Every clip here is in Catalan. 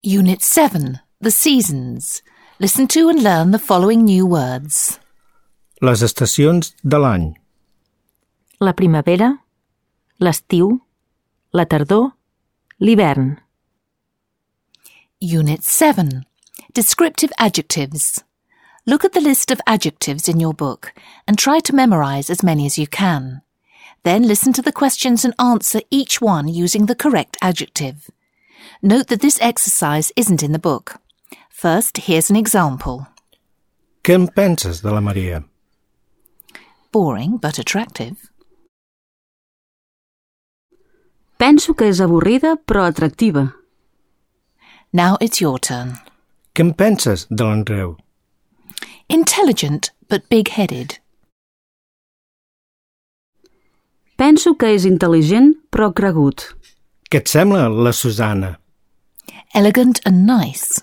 Unit 7, The Seasons. Listen to and learn the following new words. Les estacions de l'any. La primavera, l'estiu, la tardor, l'hivern. Unit 7, Descriptive Adjectives. Look at the list of adjectives in your book and try to memorize as many as you can. Then listen to the questions and answer each one using the correct adjective. Note that this exercise isn't in the book. First, here's an example. Què en penses de la Maria? Boring but attractive. Penso que és avorrida però atractiva. Now it's your turn. Què en penses de l'Andreu? Intelligent but big-headed. Penso que és intel·ligent però cregut. Què et sembla la Susana? Elegant and nice.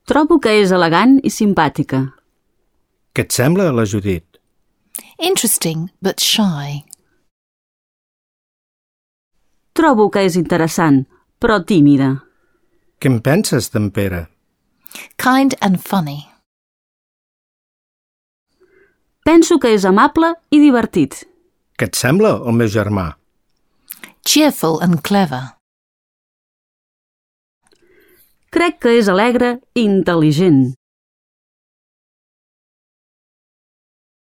Trobo que és elegant i simpàtica. Què et sembla la Judit? Interesting but shy. Trobo que és interessant, però tímida. Què en penses d'en Pere? Kind and funny. Penso que és amable i divertit. Què et sembla el meu germà? Cheerful and clever. Crec que és alegre i intel·ligent.